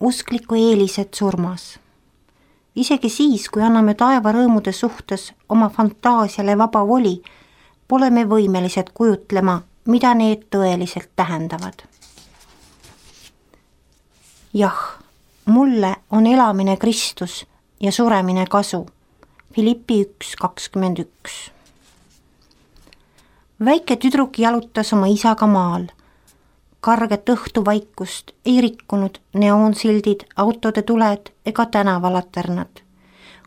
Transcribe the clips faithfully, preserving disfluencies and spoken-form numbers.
uskliku eelised surmas. Isegi siis, kui anname taeva rõõmude suhtes oma fantaasiale vaba voli, pole me võimelised kujutlema, mida need tõeliselt tähendavad. Jah, mulle on elamine Kristus ja suremine kasu. Filippi üks kakskümmend üks. Väike tüdruk jalutas oma isaga maal. Karget õhtuvaikust ei rikkunud neoonsildid, autode tuled ega tänavalaternad.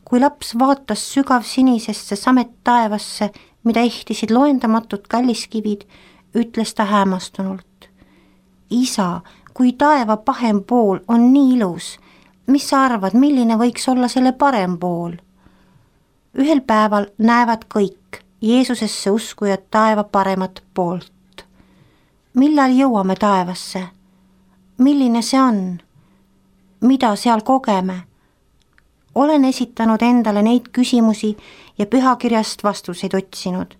Kui laps vaatas sügav sinisesse samet taevasse, mida ehtisid loendamatud kalliskivid, ütles ta hämmastunult. Isa, kui taeva pahem pool on nii ilus, mis sa arvad, milline võiks olla selle parem pool? Ühel päeval näevad kõik Jeesusesse uskujad taeva paremat poolt. Millal jõuame taevasse? Milline see on? Mida seal kogeme? Olen esitanud endale neid küsimusi ja pühakirjast vastuseid otsinud.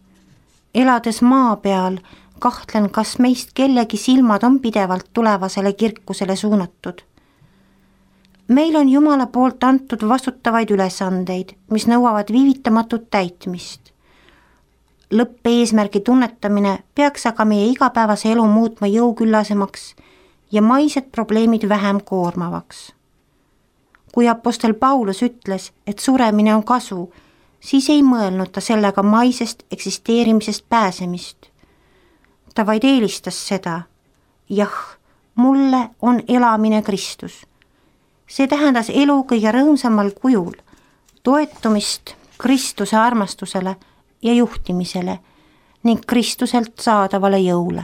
Elades maa peal, kahtlen, kas meist kellegi silmad on pidevalt tulevasele kirkusele suunatud. Meil on Jumala poolt antud vastutavaid ülesandeid, mis nõuavad viivitamatut täitmist. Lõppeesmärgi tunnetamine peaks aga meie igapäevase elu muutma jõuküllasemaks ja maised probleemid vähem koormavaks. Kui apostel Paulus ütles, et suremine on kasu, siis ei mõelnud ta sellega maisest eksisteerimisest pääsemist. Ta vaid eelistas seda. Jah, mulle on elamine Kristus. See tähendas elu kõige rõõmsamal kujul, toetumist Kristuse armastusele ja juhtimisele ning Kristuselt saadavale jõule.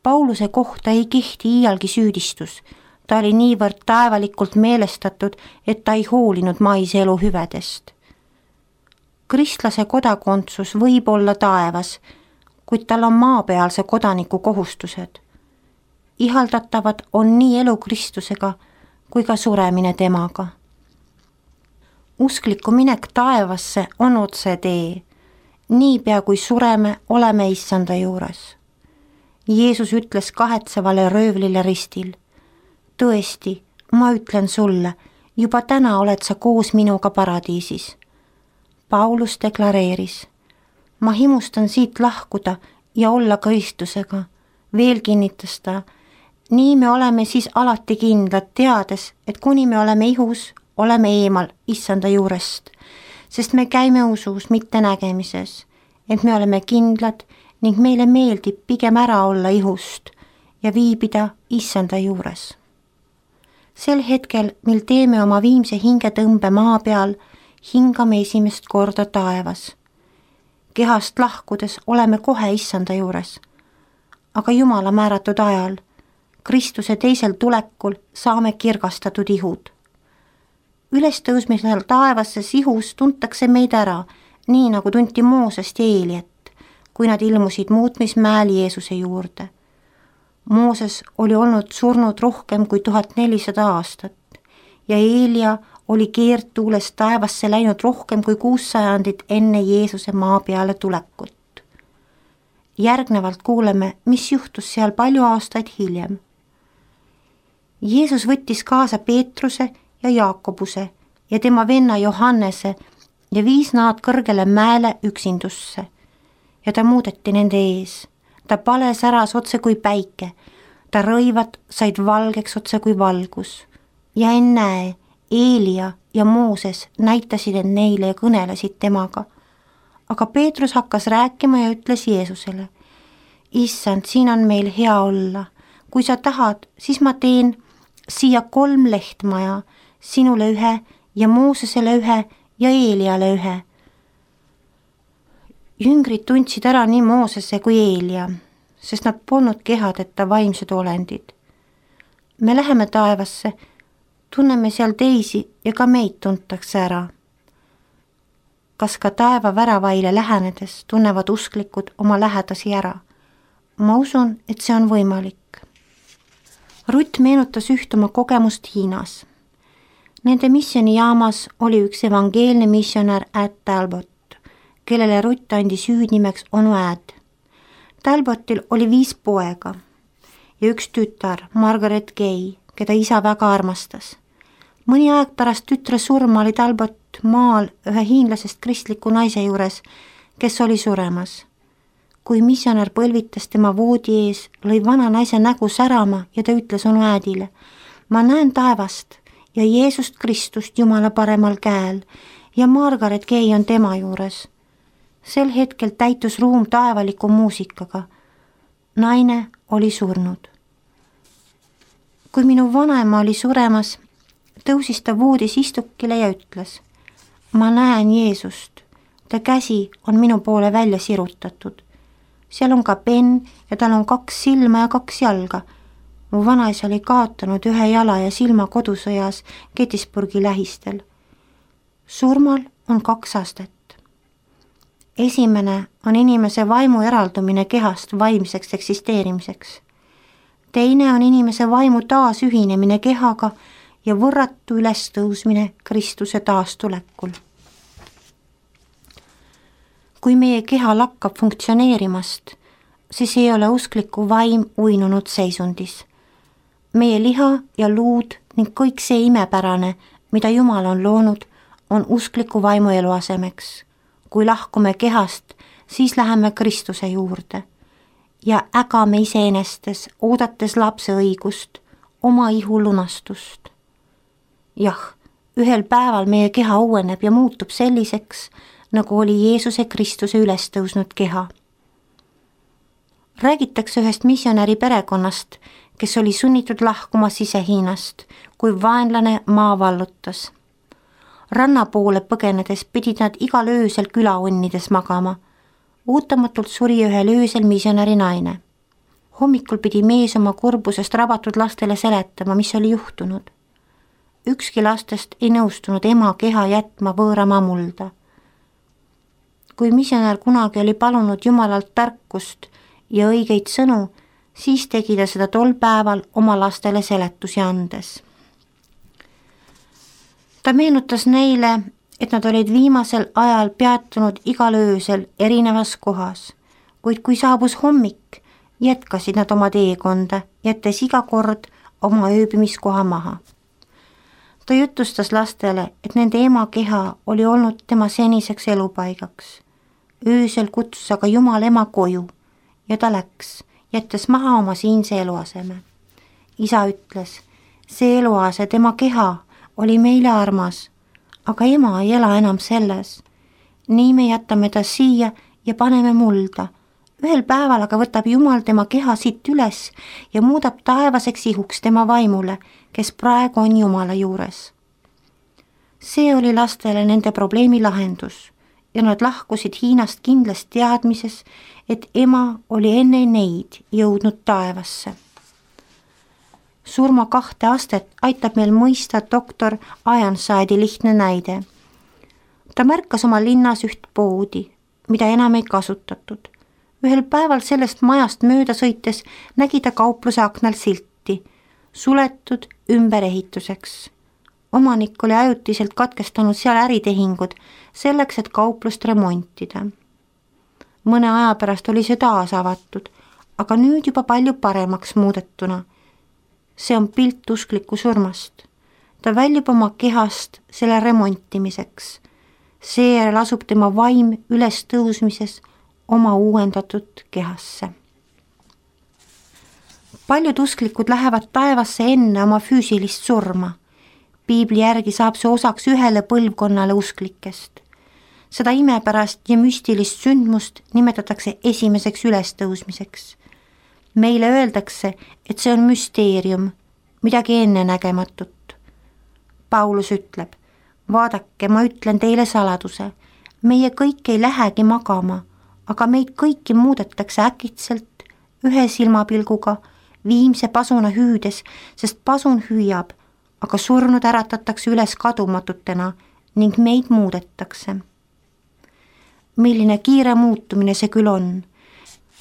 Pauluse kohta ei kehti iialgi süüdistus. Ta oli niivõrd taevalikult meelestatud, et ta ei hoolinud maise elu hüvedest. Kristlase kodakondsus võib olla taevas, kuid tal on maapealse kodaniku kohustused. Ihaldatavad on nii elu Kristusega kui ka suremine temaga. Uskliku minek taevasse on otse tee. Niipea kui sureme, oleme issanda juures. Jeesus ütles kahetsevale röövlile ristil. Tõesti, ma ütlen sulle, juba täna oled sa koos minuga paradiisis. Paulus deklareeris. Ma himustan siit lahkuda ja olla Kristusega. Veel kinnitas ta. Nii me oleme siis alati kindlad, teades, et kuni me oleme ihus, oleme eemal issanda juurest. Sest me käime usus, mitte nägemises, et me oleme kindlad ning meile meeldib pigem ära olla ihust ja viibida issanda juures. Sel hetkel, mil teeme oma viimse hingetõmbe maa peal, hingame esimest korda taevas. Kehast lahkudes oleme kohe issanda juures, aga Jumala määratud ajal, Kristuse teisel tulekul saame kirgastatud ihud. Ülestõusmisel taevasse ihus tuntakse meid ära, nii nagu tunti Moosest ja Eeliat, kui nad ilmusid muutmismäel Jeesuse juurde. Mooses oli olnud surnud rohkem kui tuhat nelisada aastat ja Eelia oli keerdtuules taevasse läinud rohkem kui kuus sajandit enne Jeesuse maa peale tulekut. Järgnevalt kuuleme, mis juhtus seal palju aastaid hiljem. Jeesus võttis kaasa Peetruse ja Jaakobuse ja tema venna Johannese ja viis nad kõrgele mäele üksindusse. Ja ta muudeti nende ees. Ta pale säras otse kui päike. Ta rõivad said valgeks otse kui valgus. Ja ennäe, Eelia ja Mooses näitasid end neile ja kõnelesid temaga. Aga Peetrus hakkas rääkima ja ütles Jeesusele. Issand, siin on meil hea olla. Kui sa tahad, siis ma teen siia kolm lehtmaja, sinule ühe ja Moosesele ühe ja Eeliale ühe. Jüngrid tundsid ära nii Moosese kui Eelia, sest nad polnud kehadeta vaimsed olendid. Me läheme taevasse, tunneme seal teisi ja ka meid tuntakse ära. Kas ka taeva väravaile lähenedes tunnevad usklikud oma lähedasi ära? Ma usun, et see on võimalik. Rutt meenutas üht oma kogemust Hiinas. Nende missionijaamas oli üks evangeelne missionär Ed Talbot, kellele Rutt andis hüüdnimeks onu Ed. Talbotil oli viis poega ja üks tütar, Margaret Gay, keda isa väga armastas. mõni aeg pärast tütre surma oli Talbot maal ühe hiinlasest kristliku naise juures, kes oli suremas. kui missionär põlvitas tema voodi ees, lõi vana naise nägu särama ja ta ütles onu Äädile: ma näen taevast ja Jeesust Kristust Jumala paremal käel ja Margaret Gay on tema juures. sel hetkel täitus ruum taevaliku muusikaga. naine oli surnud. kui minu vanaema oli suremas, tõusis ta voodis istukile ja ütles: ma näen Jeesust, ta käsi on minu poole välja sirutatud. seal on ka penn ja tal on kaks silma ja kaks jalga. mu vanaisa oli kaotanud ühe jala ja silma kodusõjas Gettysburgi lähistel. surmal on kaks astet. esimene on inimese vaimu eraldumine kehast vaimseks eksisteerimiseks. teine on inimese vaimu taasühinemine kehaga ja võrratu ülestõusmine Kristuse taastulekul. kui meie keha lakkab funktsioneerimast, siis ei ole uskliku vaim uinunud seisundis. meie liha ja luud ning kõik see imepärane, mida Jumal on loonud, on uskliku vaimu eluasemeks. kui lahkume kehast, siis läheme Kristuse juurde ja ägame iseenestes, oodates lapse õigust, oma ihu lunastust. jah, ühel päeval meie keha uueneb ja muutub selliseks, nagu oli Jeesuse Kristuse ülestõusnud keha. räägitakse ühest missionäri perekonnast, kes oli sunnitud lahkuma Sise-Hiinast, kui vaenlane maa vallutas. ranna poole põgenedes pidid nad igal öösel külaonnides magama. ootamatult suri ühel öösel missionäri naine. hommikul pidi mees oma kurbusest rabatud lastele seletama, mis oli juhtunud. ükski lastest ei nõustunud ema keha jätma võõramaa mulda. kui missionär kunagi oli palunud Jumalalt tarkust ja õigeid sõnu, siis tegi ta seda tol päeval oma lastele seletusi andes. ta meenutas neile, et nad olid viimasel ajal peatunud igal öösel erinevas kohas, kuid kui saabus hommik, jätkasid nad oma teekonda, jättes iga kord oma ööbimiskoha maha. ta jutustas lastele, et nende ema keha oli olnud tema seniseks elupaigaks. öösel kutsus aga Jumal ema koju ja ta läks, jättes maha oma siinse eluaseme. isa ütles, see eluase, tema keha, oli meile armas, aga ema ei ela enam selles. nii me jätame ta siia ja paneme mulda. ühel päeval aga võtab Jumal tema keha siit üles ja muudab taevaseks ihuks tema vaimule, kes praegu on Jumala juures. see oli lastele nende probleemi lahendus ja nad lahkusid Hiinast kindlas teadmises, et ema oli enne neid jõudnud taevasse. surma kahte astet aitab meil mõista doktor Ironside'i lihtne näide. ta märkas oma linnas üht poodi, mida enam ei kasutatud. ühel päeval sellest majast mööda sõites nägi ta kaupluse aknal silti, suletud ümberehituseks. omanik oli ajutiselt katkestanud seal äritehingud selleks, et kauplust remontida. mõne aja pärast oli see taas avatud, aga nüüd juba palju paremaks muudetuna. see on pilt uskliku surmast. ta väljub oma kehast selle remontimiseks. seejärel asub tema vaim ülestõusmises oma uuendatud kehasse. paljud usklikud lähevad taevasse enne oma füüsilist surma. Piibli järgi saab see osaks ühele põlvkonnale usklikest. seda imepärast ja müstilist sündmust nimetatakse esimeseks ülestõusmiseks. meile öeldakse, et see on müsteerium, midagi ennenägematut. Paulus ütleb, vaadake, ma ütlen teile saladuse, meie kõik ei lähegi magama, aga meid kõiki muudetakse äkitselt ühe silmapilguga, viimse pasuna hüüdes, sest pasun hüüab, aga surnud äratatakse üles kadumatutena ning meid muudetakse. milline kiire muutumine see küll on.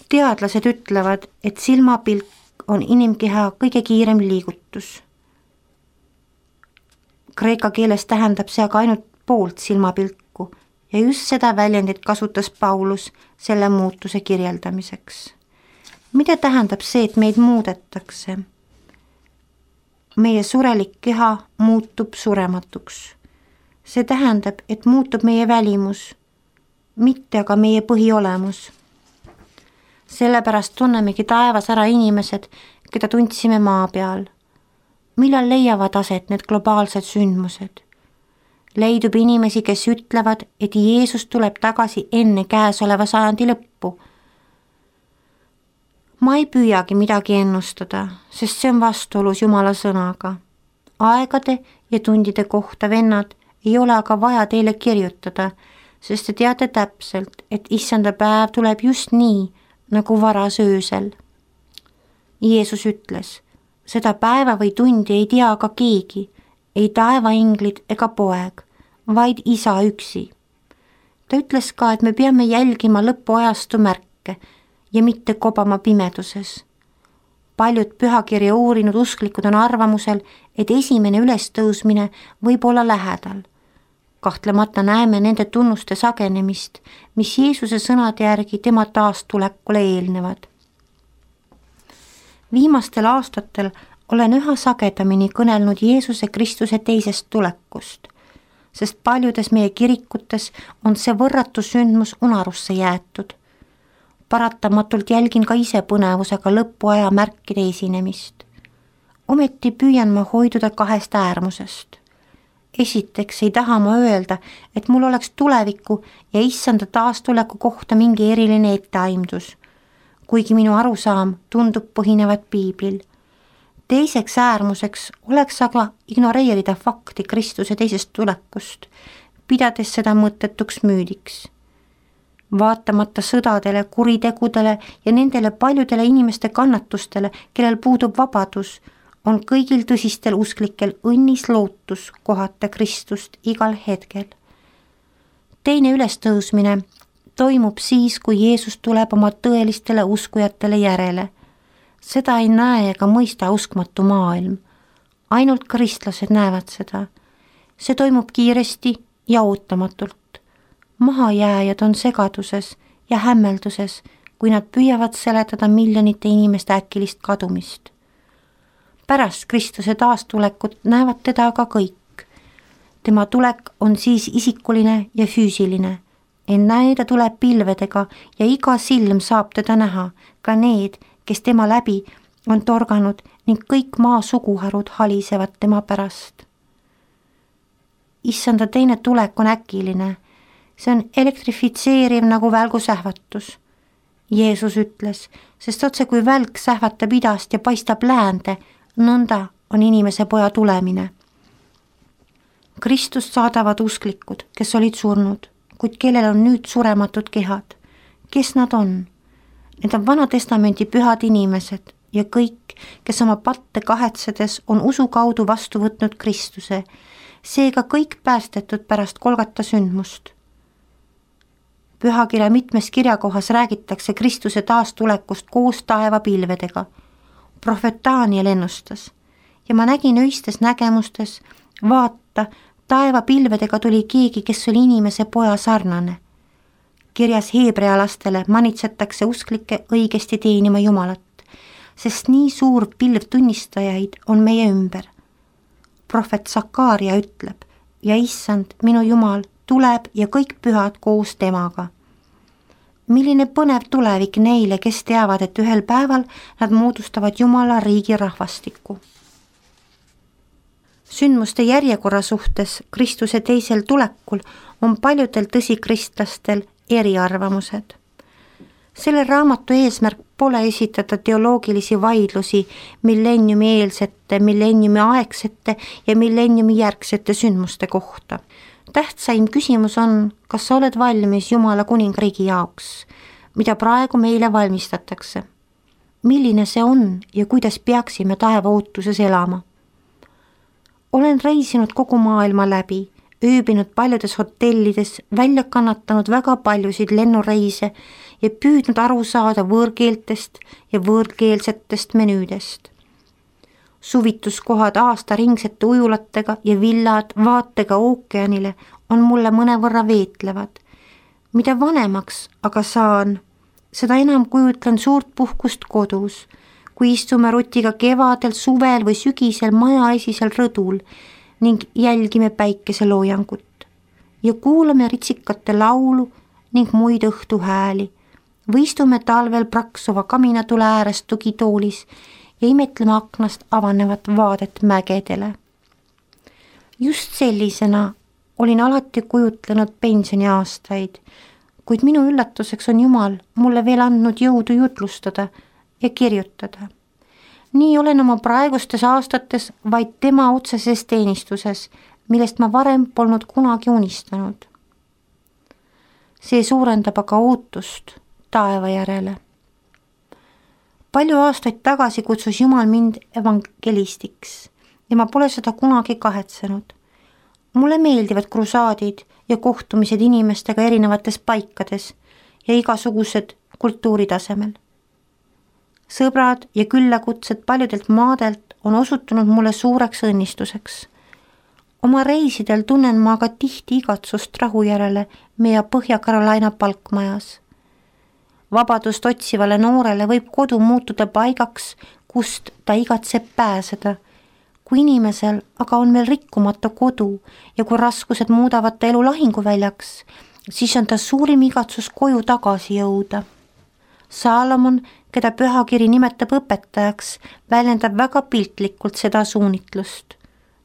teadlased ütlevad, et silmapilk on inimkeha kõige kiirem liigutus. Kreeka keeles tähendab see aga ainult poolt silmapilku ja just seda väljendit kasutas Paulus selle muutuse kirjeldamiseks. mida tähendab see, et meid muudetakse? meie surelik keha muutub surematuks. See tähendab, et muutub meie välimus, mitte aga meie põhiolemus. Sellepärast tunnemegi taevas ära inimesed, keda tundsime maa peal. Millal leiavad aset need globaalsed sündmused? Leidub inimesi, kes ütlevad, et Jeesus tuleb tagasi enne käesoleva sajandi lõppu. Ma ei püüagi midagi ennustada, sest see on vastuolus Jumala sõnaga. Aegade ja tundide kohta, vennad, ei ole aga vaja teile kirjutada, sest te teate täpselt, et issanda päev tuleb just nii, nagu varas öösel. Jeesus ütles, seda päeva või tundi ei tea aga keegi, ei taevainglid ega poeg, vaid isa üksi. Ta ütles ka, et me peame jälgima lõpuajastu märke ja mitte kobama pimeduses. Paljud pühakirja uurinud usklikud on arvamusel, et esimene ülestõusmine võib olla lähedal. Kahtlemata näeme nende tunnuste sagenemist, mis Jeesuse sõnade järgi tema taastulekule eelnevad. Viimastel aastatel olen üha sagedamini kõnelnud Jeesuse Kristuse teisest tulekust, sest paljudes meie kirikutes on see võrratu sündmus unarusse jäetud. Paratamatult jälgin ka ise põnevusega lõpuaja märkide esinemist. Ometi püüan ma hoiduda kahest äärmusest. Esiteks ei taha ma öelda, et mul oleks tuleviku ja issanda taastuleku kohta mingi eriline etteaimdus, kuigi minu arusaam tundub põhinevat piiblil. Teiseks äärmuseks oleks aga ignoreerida fakti Kristuse teisest tulekust, pidades seda mõttetuks müüdiks. Vaatamata sõdadele, kuritegudele ja nendele paljudele inimeste kannatustele, kellel puudub vabadus, on kõigil tõsistel usklikel õnnis lootus kohata Kristust igal hetkel. Teine ülestõusmine toimub siis, kui Jeesus tuleb oma tõelistele uskujatele järele. Seda ei näe ega mõista uskmatu maailm. Ainult kristlased näevad seda. See toimub kiiresti ja ootamatult. Mahajääjad on segaduses ja hämmelduses, kui nad püüavad seletada miljonite inimeste äkilist kadumist. Pärast Kristuse taastulekut näevad teda aga kõik. Tema tulek on siis isikuline ja füüsiline. Enne ta tuleb pilvedega ja iga silm saab teda näha, ka need, kes tema läbi on torganud ning kõik maa suguharud halisevad tema pärast. Issanda teine tulek on äkiline. See on elektrifitseeriv nagu välgu sähvatus. Jeesus ütles, sest otse kui välk sähvatab idast ja paistab läände, nõnda on inimese poja tulemine. Kristust saadavad usklikud, kes olid surnud, kuid kellel on nüüd surematud kehad. Kes nad on? Need on Vana-testamenti pühad inimesed ja kõik, kes oma patte kahetsedes on usu kaudu vastu võtnud Kristuse, seega kõik päästetud pärast Golgata sündmust. Pühakirja mitmes kirjakohas räägitakse Kristuse taastulekust koos taevapilvedega. Prohvet Daniel ennustas ja ma nägin öistes nägemustes, vaata, taevapilvedega tuli keegi, kes oli inimese poja sarnane. Kirjas heebrealastele manitsetakse usklikke õigesti teenima Jumalat, sest nii suur pilv tunnistajaid on meie ümber. Prohvet Sakaaria ütleb, ja issand, minu Jumal, tuleb ja kõik pühad koos temaga. Milline põnev tulevik neile, kes teavad, et ühel päeval nad moodustavad Jumala riigi rahvastikku. Sündmuste järjekorra suhtes Kristuse teisel tulekul on paljudel tõsikristlastel eriarvamused. Selle raamatu eesmärk pole esitada teoloogilisi vaidlusi millenniumi eelsete, millenniumi aegsete ja millenniumi järgsete sündmuste kohta. Tähtsaim küsimus on, kas sa oled valmis Jumala kuningriigi jaoks, mida praegu meile valmistatakse. Milline see on ja kuidas peaksime taeva ootuses elama? Olen reisinud kogu maailma läbi, ööbinud paljudes hotellides, välja kannatanud väga paljusid lennureise ja püüdnud aru saada võõrkeeltest ja võõrkeelsetest menüüdest. Suvituskohad aastaringsete ujulatega ja villad vaatega ookeanile on mulle mõnevõrra veetlevad. Mida vanemaks aga saan, seda enam kujutlen suurt puhkust kodus, kui istume Rutiga kevadel, suvel või sügisel majaesisel rõdul ning jälgime päikeseloojangut ja kuulame ritsikate laulu ning muid õhtuhääli või istume talvel praksuva kaminatule ääres tugitoolis ja imetleme aknast avanevat vaadet mägedele. Just sellisena olin alati kujutlenud pensioniaastaid, kuid minu üllatuseks on Jumal mulle veel andnud jõudu jutlustada ja kirjutada. Nii olen oma praegustes aastates vaid tema otseses teenistuses, millest ma varem polnud kunagi unistanud. See suurendab aga ootust taeva järele. Palju aastaid tagasi kutsus Jumal mind evangelistiks ja ma pole seda kunagi kahetsenud. Mulle meeldivad krusaadid ja kohtumised inimestega erinevates paikades ja igasugused kultuuritasemel. Sõbrad ja küllakutsed paljudelt maadelt on osutunud mulle suureks õnnistuseks. Oma reisidel tunnen ma aga tihti igatsust rahu järele meie Põhja-Carolina palkmajas. Vabadust otsivale noorele võib kodu muutuda paigaks, kust ta igatseb pääseda. Kui inimesel aga on veel rikkumata kodu ja kui raskused muudavad ta elu lahinguväljaks, siis on ta suurim igatsus koju tagasi jõuda. Saalomon, keda pühakiri nimetab õpetajaks, väljendab väga piltlikult seda suunitlust.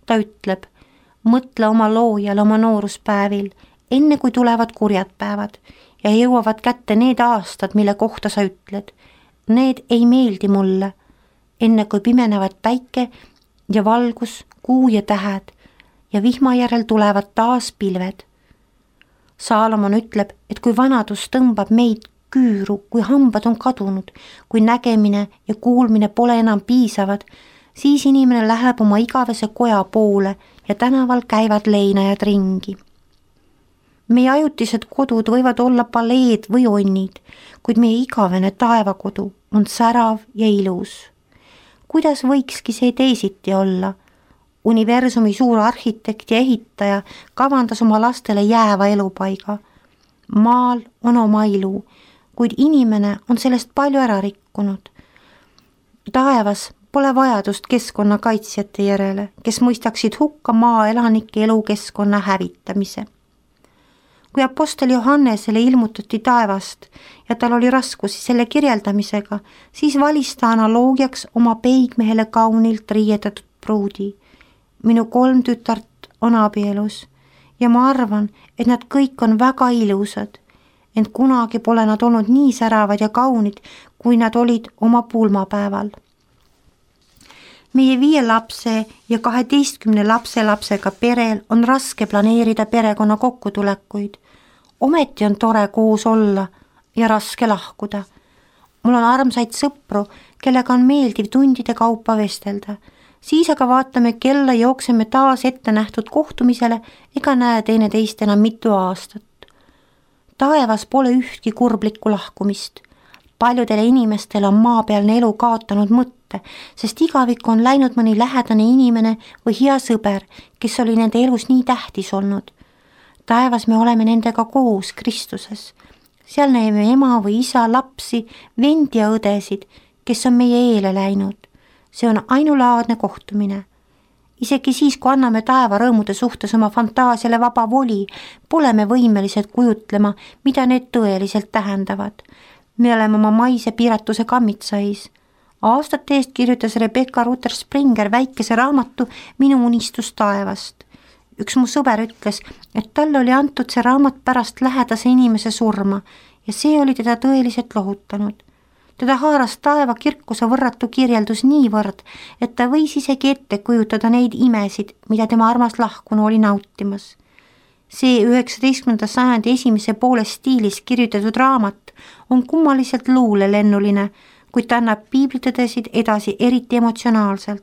Ta ütleb, mõtle oma loojale oma nooruspäevil, enne kui tulevad kurjad päevad ja jõuavad kätte need aastad, mille kohta sa ütled. Need ei meeldi mulle, enne kui pimenevad päike ja valgus, kuu ja tähed ja vihma järel tulevad taas pilved. Saalomon ütleb, et kui vanadus tõmbab meid küüru, kui hambad on kadunud, kui nägemine ja kuulmine pole enam piisavad, siis inimene läheb oma igavese koja poole ja tänaval käivad leinajad ringi. Meie ajutised kodud võivad olla paleed või onnid, kuid meie igavene taevakodu on särav ja ilus. Kuidas võikski see teisiti olla? Universumi suur arhitekt ja ehitaja kavandas oma lastele jääva elupaiga. Maal on oma ilu, kuid inimene on sellest palju ära rikkunud. Taevas pole vajadust keskkonnakaitsjate järele, kes mõistaksid hukka maaelanike elukeskkonna hävitamise. Kui apostel Johannesele ilmutati taevast ja tal oli raskusi selle kirjeldamisega, siis valis ta analoogiaks oma peigmehele kaunilt riietatud pruudi. Minu kolm tütart on abielus ja ma arvan, et nad kõik on väga ilusad, ent kunagi pole nad olnud nii säravad ja kaunid, kui nad olid oma pulmapäeval. Meie viie lapse ja kaheteistkümne lapse lapsega perel on raske planeerida perekonna kokkutulekuid. Ometi on tore koos olla ja raske lahkuda. Mul on armsaid sõpru, kellega on meeldiv tundide kaupa vestelda. Siis aga vaatame kella, jookseme taas ette nähtud kohtumisele ega näe teineteist enam mitu aastat. Taevas pole ühtki kurblikku lahkumist. Paljudele inimestele on maapealne elu kaotanud mõtte, sest igavik on läinud mõni lähedane inimene või hea sõber, kes oli nende elus nii tähtis olnud. Taevas me oleme nendega koos Kristuses. Seal näeme ema või isa, lapsi, vendi ja õdesid, kes on meie eele läinud. See on ainulaadne kohtumine. Isegi siis, kui anname taeva rõõmude suhtes oma fantaasiale vaba voli, pole me võimelised kujutlema, mida need tõeliselt tähendavad. Me oleme oma maise piiratuse kammitsais. Aastate eest kirjutas Rebecca Rutter Springer väikese raamatu Minu unistus taevast. Üks mu sõber ütles, et talle oli antud see raamat pärast lähedase inimese surma ja see oli teda tõeliselt lohutanud. Teda haaras taeva kirkuse võrratu kirjeldus niivõrd, et ta võis isegi ette kujutada neid imesid, mida tema armas lahkunu oli nautimas. See üheksateistkümnenda sajandi esimese poole stiilis kirjutatud raamat on kummaliselt luulelennuline, kuid ta annab piiblitõdesid edasi eriti emotsionaalselt.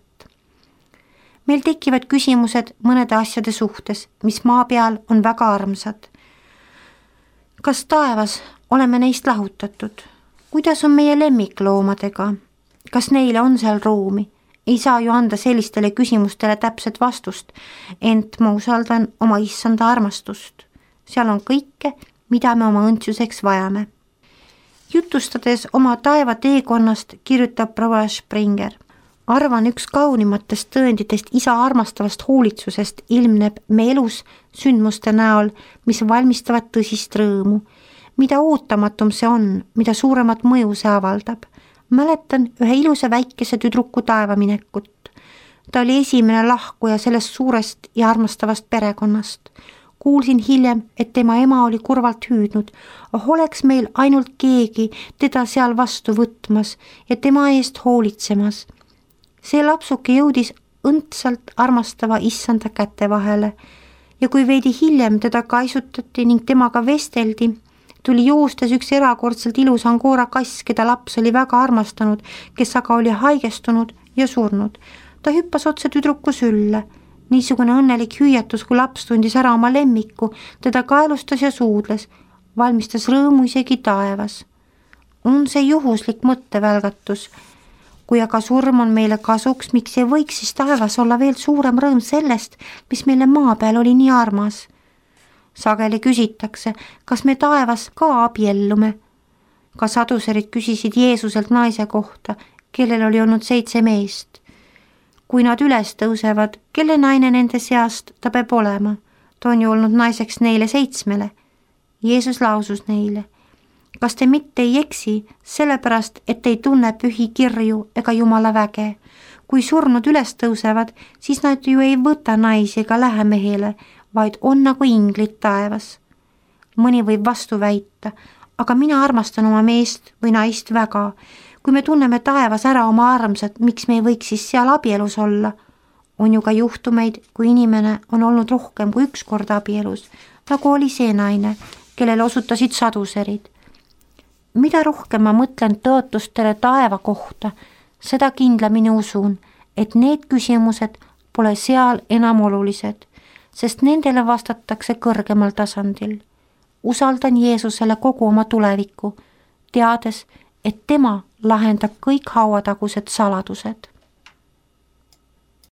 Meil tekivad küsimused mõnede asjade suhtes, mis maa peal on väga armsad. Kas taevas oleme neist lahutatud? Kuidas on meie lemmikloomadega? Kas neile on seal ruumi? Ei saa ju anda sellistele küsimustele täpset vastust, ent ma usaldan oma issanda armastust. Seal on kõike, mida me oma õndsuseks vajame. jutustades oma taeva teekonnast kirjutab proua Springer. Arvan, üks kaunimatest tõenditest isa armastavast hoolitsusest ilmneb me elus sündmuste näol, mis valmistavad tõsist rõõmu. Mida ootamatum see on, mida suuremat mõju see avaldab. Mäletan ühe ilusa väikese tüdruku taevaminekut. Ta oli esimene lahkuja sellest suurest ja armastavast perekonnast. Kuulsin hiljem, et tema ema oli kurvalt hüüdnud, oh oleks meil ainult keegi teda seal vastu võtmas ja tema eest hoolitsemas. See lapsuke jõudis õndsalt armastava issanda käte vahele ja kui veidi hiljem teda kaisutati ning temaga vesteldi, tuli joostes üks erakordselt ilus Angora kass, keda laps oli väga armastanud, kes aga oli haigestunud ja surnud. Ta hüppas otse tüdruku sülle. Niisugune õnnelik hüüatus, kui laps tundis ära oma lemmiku, teda kaelustas ja suudles, valmistas rõõmu isegi taevas. On see juhuslik mõttevälgatus. Kui aga surm on meile kasuks, miks ei võiks siis taevas olla veel suurem rõõm sellest, mis meile maa peal oli nii armas? Sageli küsitakse, kas me taevas ka abiellume. Ka saduserid küsisid Jeesuselt naise kohta, kellel oli olnud seitse meest. Kui nad üles tõusevad, kelle naine nende seast ta peab olema? Ta on ju olnud naiseks neile seitsmele. Jeesus lausus neile, kas te mitte ei eksi, sellepärast, et ei tunne pühi kirju ega Jumala väge. Kui surnud üles tõusevad, siis nad ju ei võta naisi ega lähe mehele, vaid on nagu inglid taevas. Mõni võib vastu väita, aga mina armastan oma meest või naist väga. Kui me tunneme taevas ära oma armsad, miks me ei võiks siis seal abielus olla? On ju ka juhtumeid, kui inimene on olnud rohkem kui üks kord abielus, nagu oli see naine, kellele osutasid saduserid. Mida rohkem ma mõtlen tõotustele taeva kohta, seda kindlamini usun, et need küsimused pole seal enam olulised, sest nendele vastatakse kõrgemal tasandil. Usaldan Jeesusele kogu oma tulevikku, teades, et tema lahendab kõik hauatagused saladused.